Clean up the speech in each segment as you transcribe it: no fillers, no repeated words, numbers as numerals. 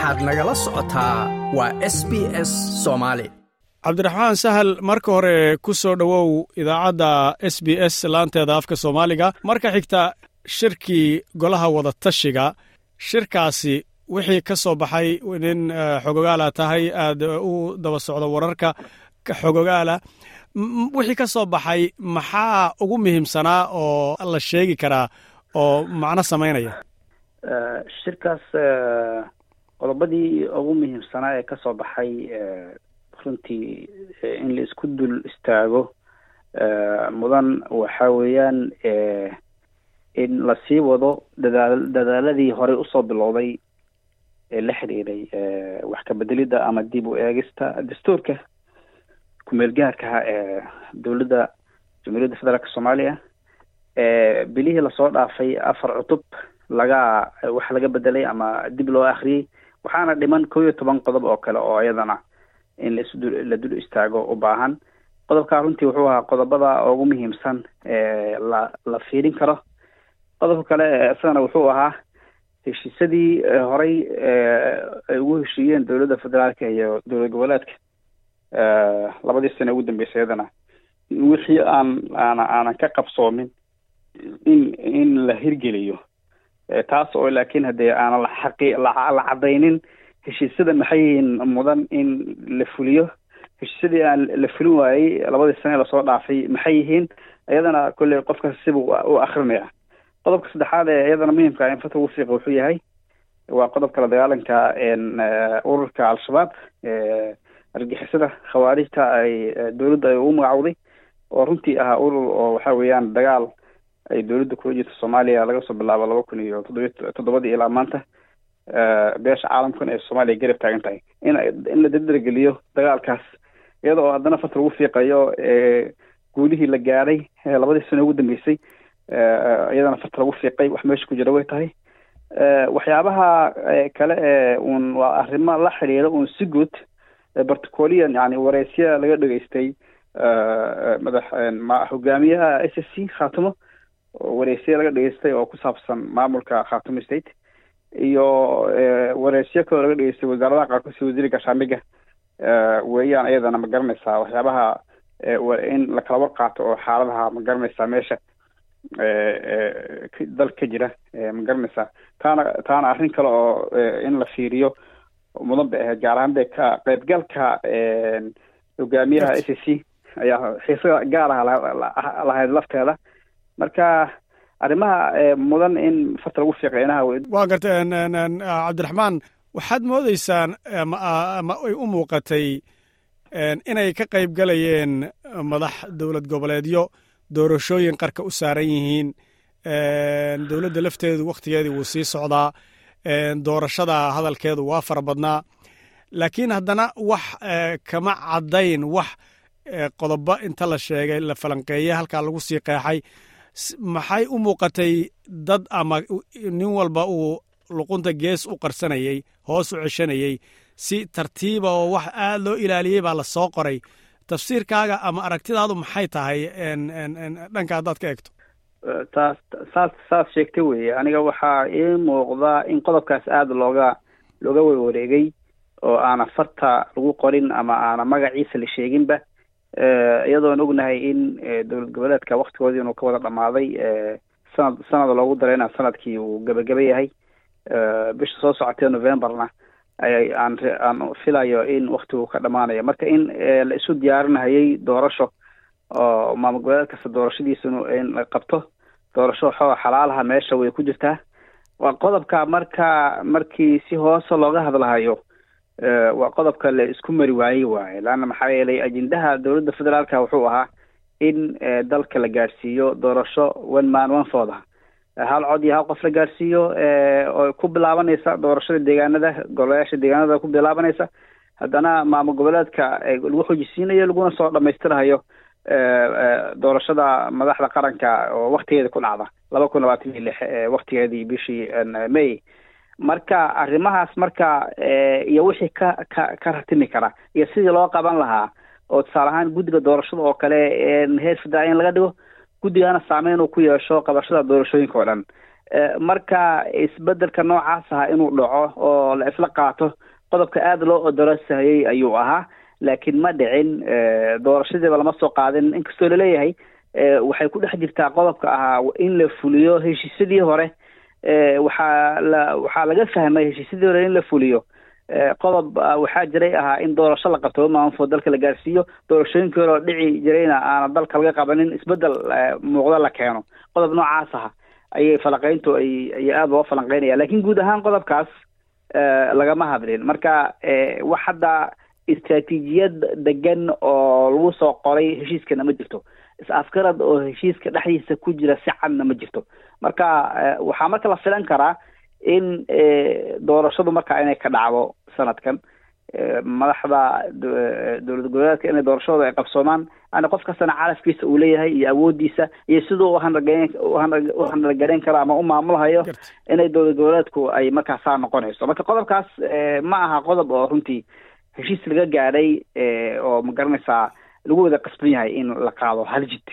Waxaad nagala socotaa waa SBS Soomaali. Cabdiraxmaan Sahal, marka hore ku soo dhowow idaacadda SBS laanteeda afka Soomaaliga. Marka xigta, shirkii golaha wadatashiga, shirkaasi wixii ka soo baxay, nin xogogaala tahay, aad u daba socdo wararka xogogaala, wixii ka soo baxay maxaa ugu muhiimsanaa oo la sheegi karaa oo macno samaynaya? Shirkaas qodobadii ugu muhiimsanaa ee ka soo baxay, runtii in la isku dul istaago mudan, waxa weeyaan in lasii wado dadaaladii horey usoo bilowday ee la xiriiray wax ka bedelidda ama dib u eegista dastuurka kumeel gaarkaha ee dowladda Jamhuuriyadda Federaalka Soomaaliya. Bilihii lasoo dhaafay afar cutub laga wax laga bedelay ama dib loo akhriyey, waxaana dhiman 11 qodob oo kale oo iyadana in la dul istaago u baahan. Qodobkaa runtii wuxuu ahaa qodobada ugu muhiimsan ee la fiirin karo. Qodobka kale isagana wuxuu ahaa heshiisyadii horey ay ugu heshiiyeen dowladda federaalka iyo dowlad goboleedka 2dii sane ugu dambeysay, iyadana wixii aan aanan ka qabsoomin in la hirgeliyo, taas oo laakiin haddee aanan la xaqi la cadaynin heshiisyada maxay yihiin mudan in la fuliyo, heshiisyadii aan la fulin waayey 2dii sane lasoo dhaafay maxay yihiin. Iyadana kolley qofkas sibuu u akrinaya. Qodobka saddexaad ee iyadana muhiimka in farta ugu fiiqa wuxuu yahay waa qodobka la dagaalanka ururka Al-Shabaab, argagixisada Khawaarijta ay dowladda ay ugu magacowday, oo runtii ahaa urur oo waxa weeyaan dagaal ay dowladda kula jirto Soomaaliya laga soo bilaabo 2007dii ilaa maanta, beesha caalamkan ee Soomaaliya garab taagan tahay, in la dardargeliyo dagaalkaas, iyada oo haddana farta lagu fiiqayo guulihii la gaadhay 2dii sano ugu dambeysay. Iyadana farta lagu fiiqay wax meesha ku jira way tahay. Waxyaabaha kale ee uun waa arrimo la xiriira uun si guud barticolian, yani wareysya laga dhegeystay madax hogaamiyaha SSC Khaatumo, wareysya laga dhegeystay oo ku saabsan maamulka Khaatumo State, iyo wareysyo kaloo laga dhegeystay wasaaradaha qaarkood sida wasiirka gaashaandhigga weeyaan. Iyadana ma garanaysaa, waxyaabaha in la kala war qaato oo xaaladaha, ma garanaysaa, meesha dalka ka jira, ma garanaysaa, taana arrin kale oo in la fiiriyo mudan bay ahayd. Gaar ahaan dee ka qaybgalka hogaamiyaha SSC ayaa xiisa gaar ah lahayd lafteeda. Marka arrimaha mudan in farta lagu fiiqeynaha. Waa gartay, Cabdiraxmaan. Waxaad moodeysaan ama ay u muuqatay inay ka qayb galayeen madax dowlad goboleedyo doorashooyin qarka u saaran yihiin. Dowladda lafteedu wakhtigeedii wuu sii socdaa, doorashada hadalkeedu waa fara badnaa, laakiin haddana wax kama caddayn. Wax qodobo inta la sheegay, la falanqeeyey, halkaa lagu sii qeexay, maxay u muuqatay dad ama nin walba uu luqunta gees u qarsanayey, hoos u ceshanayey, si tartiiba oo wax aad loo ilaaliyey baa la soo qoray. Tafsiirkaaga ama aragtidaadu maxay tahay dhanka haddaad ka eegto? Taas saas sheegtay weye. Aniga waxaa ii muuqda in qodobkaas aada looga warwareegay oo aana farta lagu qorin ama aana magaciisa la sheeginba, iyadoon ognahay in dowlad goboleedka waktigoodii inuu ka wada dhamaaday, sanad loogu darayna sanadkii uu gebageba yahay, bisha soo socotee Novemberna aan filayo in waktigu ka dhamaanayo. Marka in la isu diyaarinahayay doorasho oo maamul goboleed kasta doorashadiisa in la qabto, doorasho xoo xalaalaha meesha way ku jirtaa. Waa qodobka marka markii si hoose looga hadlahayo waa qodobka la isku mari waayey waaye, leanna maxaa yeelay ajendaha dowladda federaalka wuxuu ahaa in dalka la gaadhsiiyo doorasho one man one vote, hal cod iyo hal qof la gaadhsiiyo, oo ku bilaabanaysa doorashada deegaanada, golayaasha deegaanada ku bilaabanaysa, haddana maamul goboleedka lagu xojisiinayo, laguna soo dhamaystirahayo doorashada madaxda qaranka oo waktigeeda ku dhacda 2026, waktigeedii bishii May. Marka arrimahaas marka iyo wixii ka ratimi kara iyo sidii loo qaban lahaa, oo tusaale ahaan guddiga doorashada oo kale heer federaal in laga dhigo, guddigana saameyn uu ku yeesho qabashada doorashooyinka oo dhan. Marka isbedelka noocaas aha inuu dhaco oo la isla qaato qodobka aada loo odorosahayey ayuu ahaa, laakiin ma dhicin. Doorashadiiba lama soo qaadin, inkastoo laleeyahay waxay ku dhex jirtaa qodobka ahaa in la fuliyo heshiisyadii hore. Waxaa laga fahmay heshiisyadii hore in la fuliyo qodob waxaa jiray ahaa in doorasho la qabto maanfo dalka la gaarsiiyo, doorashooyinkii hore oo dhici jirayna aana dalka laga qabanin, isbedel muuqda la keeno. Qodob noocaas aha ayay falaqeyntu ay aada loo falanqeynaya, lakin guud ahaan qodobkaas lagama hadlin. Marka wax hadda istraatiijiyad degan oo lagu soo qoray heshiiskana ma jirto, is-afgarad oo heshiiska dhexdiisa ku jira si cadna ma jirto. Marka waxaa marka la filan karaa in doorashadu marka inay ka dhacdo sanadkan, madaxda dowlad goboleedka inay doorashadooda ay qabsoomaan, yani qof kastana calafkiisa uu leeyahay iyo awoodiisa iyo siduu u handalgareyn karo ama u maamulhayo inay dowlad goboleedku ay markaasaa noqonayso. Marka qodobkaas ma aha qodob oo runtii heshiis laga gaadhay oo ma garanaysaa lagu wada qasban yahay in la qaado hal jid.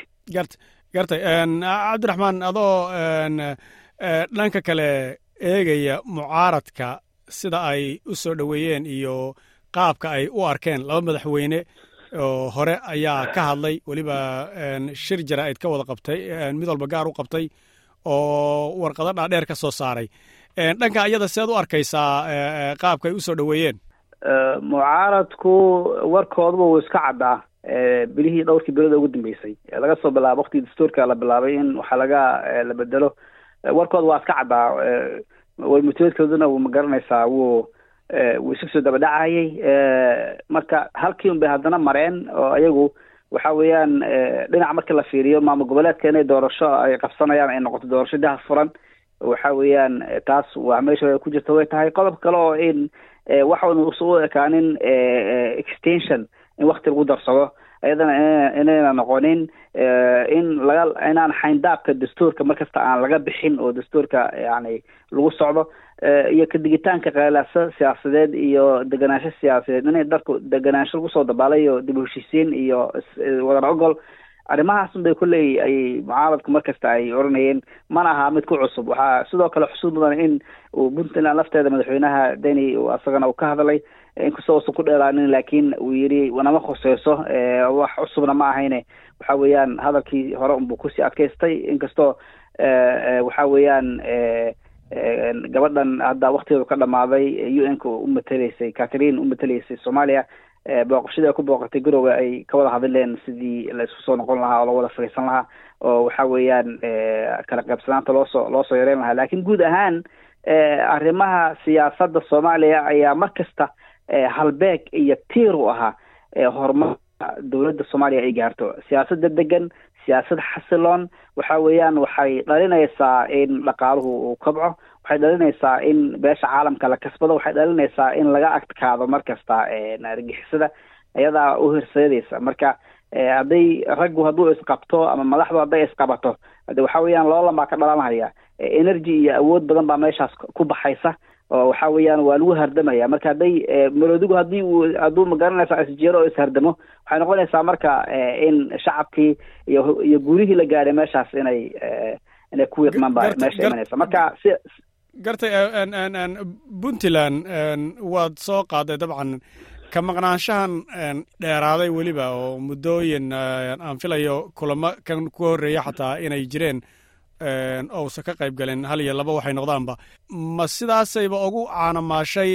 Gartay, Cabdiraxmaan, adoo dhanka kale eegaya mucaaradka sida ay u soo dhoweeyeen iyo qaabka ay u arkeen, laba madaxweyne oo hore ayaa ka hadlay, weliba shir jaraa'id ka wada qabtay, mid walba gaar u qabtay oo warqado dhaadheer ka soo saaray. Dhanka iyada seed u arkaysaa qaabka ay u soo dhoweeyeen? Mucaaradku warkooduba wuu iska caddaa. Bilihii dhowrkii bilood ugu dambeysay, laga soo bilaabo waqtigii dastuurka la bilaabay in waxaa laga la bedelo, warkooda waa iska caddaa. Warmutooedkooduna wuu ma garanaysaa wuu isu soo daba dhacayay. Marka halkii un bay haddana mareen oo ayagu waxa weeyaan dhinac marka la fiiriyo maamul goboleedka inay doorasho ay qabsanayaan ay noqoto doorasho daha furan, waxa weeyaan taas waa meesha ku jirta way tahay. Qodob kale oo in waxaanu usu ekaanin extension in wakti lagu darsado, iyadana inayna noqonin in laga inaan xayndaabka dastuurka markasta aan laga bixin oo dastuurka yani lagu socdo, iyo kadigitaanka qeelaasa siyaasadeed iyo deganaansho siyaasadeed inay dalku deganaansho lagu soo dabaalayo, dib u heshiisiin iyo wadar ogol, arrimahaas un bay kolley ay mucaaradku markasta ay oranayeen, mana aha mid ku cusub. Waxaa sidoo kale xusuud mudan in uu Puntland lafteeda madaxweynaha Deni asagana uu ka hadlay, inkastoo uusan ku dheeraanin, laakiin uu yidhi nama khuseyso, wax cusubna ma ahayne. Waxa weeyaan hadalkii hore unbuu kusii adkaystay, inkastoo waxa weeyaan gabadhan hadda waktigeedu ka dhamaaday UN-ka u mateleysay, Catherine u mateleysay Soomaaliya, booqashadii ay ku booqatay Garowe ay ka wada hadleen sidii la isku soo noqon lahaa oo la wada fariisan lahaa oo waxa weeyaan kala qaybsanaanta loosoo yareyn lahaa. Laakiin guud ahaan arrimaha siyaasadda Soomaaliya ayaa mar kasta halbeeg iyo tiir u ahaa horumarka dowladda Soomaaliya ay gaarto. Siyaasadda degan, siyaasad xasiloon, waxa weeyaan waxay dhalinaysaa in dhaqaaluhu uu kobco, waxay dhalinaysaa in beesha caalamka la kasbado, waxay dhalinaysaa in laga adkaado mar kasta argixisada iyadaa u horseedaysa. Marka hadday raggu hadduu isqabto ama madaxdu hadday isqabato, hade waxa weeyaan loolan baa ka dhalanhaya, energy iyo awood badan baa meeshaas ku baxaysa oo waxa weeyaan waa lagu hardamaya. Marka hadday maroodigu haddii uu hadduu magaranaysaa isjeero oo ishardamo, waxay noqonaysaa marka in shacabkii iyo guurihii la gaadhay meeshaas inay ku wiiqmaan baa meesha imanaysa. Marka si Gartay, Puntland waad soo qaaday. Dabcan ka maqnaanshahan dheeraaday weliba oo muddooyin aan filayo kulamo kan ku horreeya xataa inay jireen ousan ka qayb galin, hal iyo laba waxay noqdaanba, ma sidaasayba ugu caanamaashay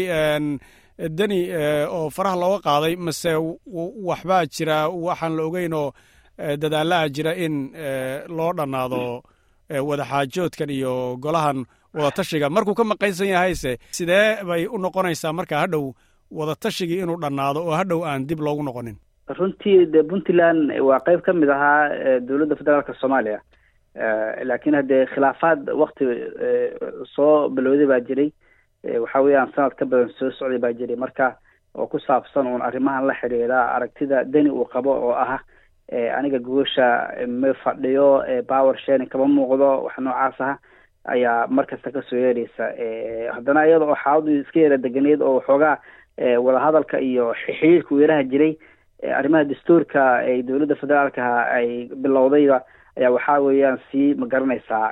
Deni oo faraha looga qaaday, mase waxbaa jira waxaan la ogeyn oo dadaalaha jira in loo dhannaado wadaxaajoodkan iyo golahan wadatashiga markuu ka maqaysan yahayse? Sidee bay u noqonaysaa marka hadhow wadatashigii inuu dhannaado oo hadhow aan dib loogu noqonin? Runtii dee Puntland waa qayb ka mid ahaa dowladda federaalka Soomaaliya, laakiin haddee khilaafaad wakti soo bilowday baa jiray, waxa weeyaan sanad ka badan soo socday baa jiray, marka oo ku saabsan uun arrimahan la xiriira aragtida Deni uu qabo oo ah aniga goosha ma fadhiyo, power sharing kama muuqdo, wax noocaas ah ayaa markasta kasoo yeeraysa. Haddana iyada oo xaaladu iska yara deganeed oo waxoogaa wadahadalka iyo xiriirka uu yaraha jiray, arrimaha dastuurka ay dowladda federaalka ay bilowdayba ayaa waxaa weeyaan sii ma garanaysaa.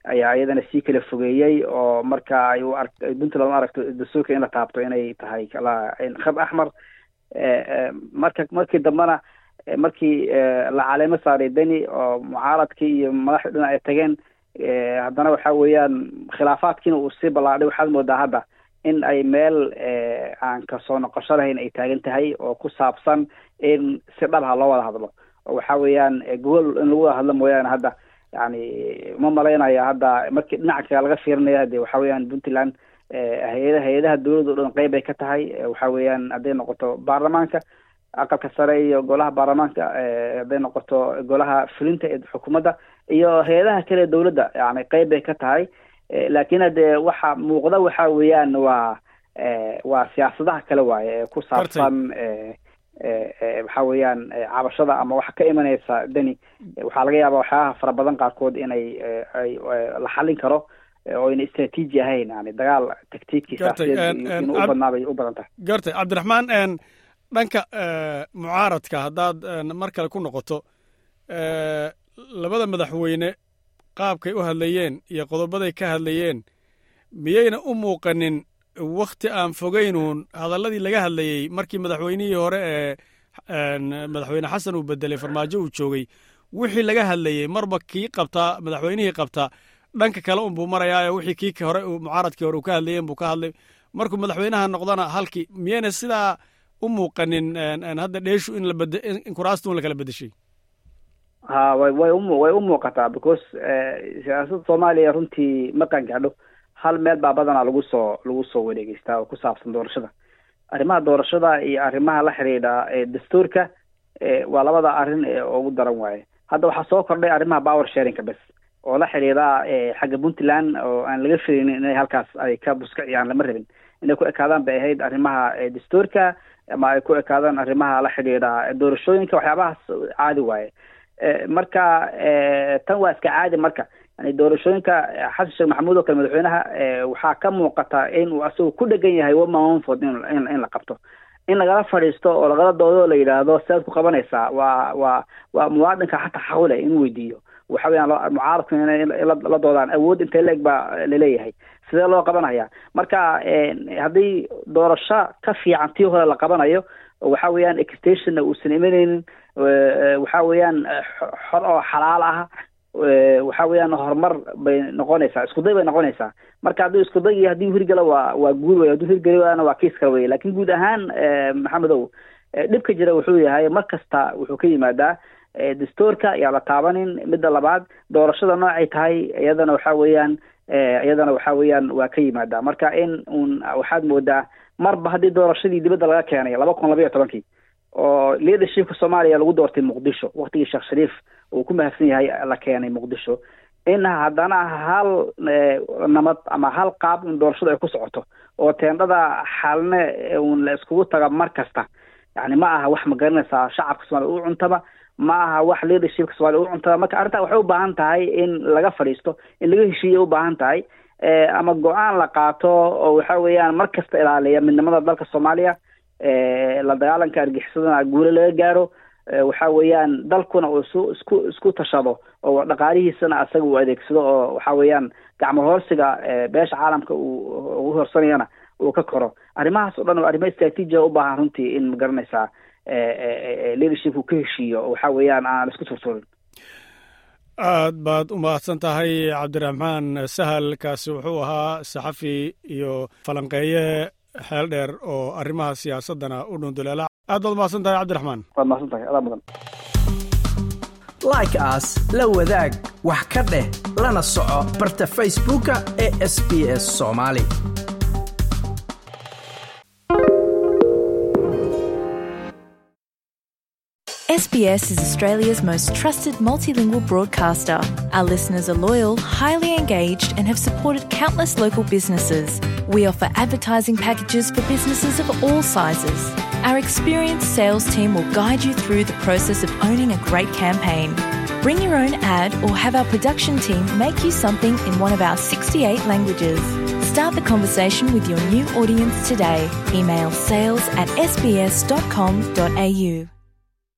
Ayaa iyadana sii kala fogeeyey, oo marka ay u ark Puntland u aragto dastuurka in la taabto inay tahay khad axmar. Marka markii dambena, markii la caleemo saaray Deni oo mucaaradkii iyo madaxda dhinac ay tageen, haddana waxa weeyaan khilaafaadkiina uu sii ballaadhay. Waxaad moodaa hadda in ay meel aan kasoo noqosho lahayn ay taagan tahay, oo ku saabsan in si dhabha loo wada hadlo, oo waxa weeyaan gogol in lagu wada hadlo mooyaane. Hadda yani ma malaynaya hadda markii dhinaca kale laga fiirinaya de waxa weeyaan Puntland hay-adaha dowladda o dhan qeyb ay ka tahay. Waxa weeyaan hadday noqoto baarlamaanka, aqalka sare iyo golaha baarlamaanka, hadday noqoto golaha fulinta ee xukuumadda iyo hay-adaha kale ee dowladda, yani qeyb bay ka tahay. Laakiin hadee waxa muuqda waxa weeyaan waa siyaasadaha kale waaye ee ku saabsan waxa weeyaan cabashada ama waxa ka imanaysa Deni. Waxaa laga yaabaa waxyaabaha fara badan qaarkood inay ay la xallin karo oo ayna istraatiiji ahayn, yani dagaal tactiikii siyaasadeed inuu u badnaa bay u badan tahay. Gartay, Cabdiraxmaan. Dhanka mucaaradka haddaad mar kale ku noqoto, labada madaxweyne qaabkay u hadlayeen iyo qodobaday ka hadlayeen, miyayna u muuqanin wakhti aan fogaynuun hadalladii laga hadlayey markii madaxweynihii hore ee Madaxweyne Xasan uu bedelay Farmaajo uu joogay, wixii laga hadlayey marba kii qabtaa, madaxweynihii qabtaa dhanka kale unbuu marayaayo, wixii kii hore mucaaradkii hore uu ka hadlayeen buu ka hadlay, markuu madaxweynaha noqdana halkii? Miyayna sidaa u muuqanin hadda dheeshu in labade in kuraasta un la kala bedeshay? Ha, way u muuqataa, because siyaasadda Soomaaliya runtii ma qangaadho. Hal meel baa badanaa lagu soo wareegeystaa oo ku saabsan doorashada. Arrimaha doorashada iyo arrimaha la xidhiidha dastuurka waa labada arrin ee ugu daran waaye. Hadda waxaa soo kordhay arrimaha power sharingka bes oo la xidhiidha xagga Puntland, oo aan laga filaynin inay halkaas ay ka buskiciyaan. Lama rabin inay ku ekaadaan bay ahayd arrimaha dastuurka ama ay ku ekaadaan arrimaha la xidhiidha doorashooyinka. Waxyaabahaas caadi waaye. Marka tan waa iska caadi. Marka yani doorashooyinka, Xasan Sheekh Maxamuud oo kale, madaxweynaha, waxaa ka muuqata in uu asagu ku dhegan yahay one man one vote in la qabto. In lagala fadhiisto oo lagala doodo oo la yidhaahdo sidaad ku qabanaysaa, waa muwaadinka xataa xaq u leh inuu weydiiyo. Waxa weeyaan mucaaradku inay la doodaan awood intee leeg baa laleeyahay, sidee loo qabanaya. Marka haddii doorasho ka fiican tii hore la qabanayo, waxa weeyaan extensionna uusan imanaynin, waxa weeyaan xor oo xalaal ah, waxa weeyaan horumar bay noqonaysaa, iskuday bay noqonaysaa. Marka hadduu iskuday haddii hirgalo waa guul wey, hadduu hirgeli waana waa kiis kale wey. Laakiin guud ahaan, Maxamedow, dhibka jira wuxuu yahay mar kasta wuxuu ka yimaadaa dastuurka yaa la taabanin. Midda labaad, doorashada noocay tahay iyadana waxa weeyaan waa ka yimaadaa. Marka in uun waxaad moodaa marba haddii doorashadii dibadda laga keenay 2012-kii oo leadershipka Soomaaliya lagu doortay Muqdisho, waqtigii Sheekh Shariif uu ku mahadsan yahay la keenay Muqdisho, in haddana hal namad ama hal qaab un doorashada ay ku socoto oo teendhada Xalne un la iskugu taga mar kasta, yani ma aha wax, ma garanaysaa, shacabka Soomaaliya u cuntaba, ma aha wax leadershipka Soomaaliya u cuntaba. Marka arrintaa waxay u baahan tahay in laga fadhiisto, in laga heshiiyo u baahan tahay, ama go-aan la qaato oo waxa weeyaan mar kasta ilaaliya midnimada dalka Soomaaliya, la dagaalanka argixisadana guulo laga gaaro, waxa weeyaan dalkuna uu isku tashado oo dhaqaalihiisana asaga uu adeegsado, oo waxa weeyaan gacmo hoorsiga beesha caalamka uu ugu horsanayana uu ka koro. Arrimahaas oo dhan waa arrimo istraatiiji u baahan runtii in, magaranaysaa, leadership uu ka heshiiyo oo waxa weeyaan aan isku turturin. Aad baad u mahadsan tahay, Cabdiraxmaan Sahal. Kaasi wuxuu ahaa saxafi iyo falanqeeye xeel dheer oo arrimaha siyaasaddana u dhunduleela. Aad baad umahadsan tahay, Cabdiraxmaan. Waad mahadsan tahay, adaa mudan. Like saar, la wadaag, wax ka dheh, lana soco barta Facebooka ee SBS Soomaali. SBS is Australia's most trusted multilingual broadcaster. Our listeners are loyal, highly engaged, and have supported countless local businesses. We offer advertising packages for businesses of all sizes. Our experienced sales team will guide you through the process of owning a great campaign. Bring your own ad or have our production team make you something in one of our 68 languages. Start the conversation with your new audience today. Email sales@sbs.com.au.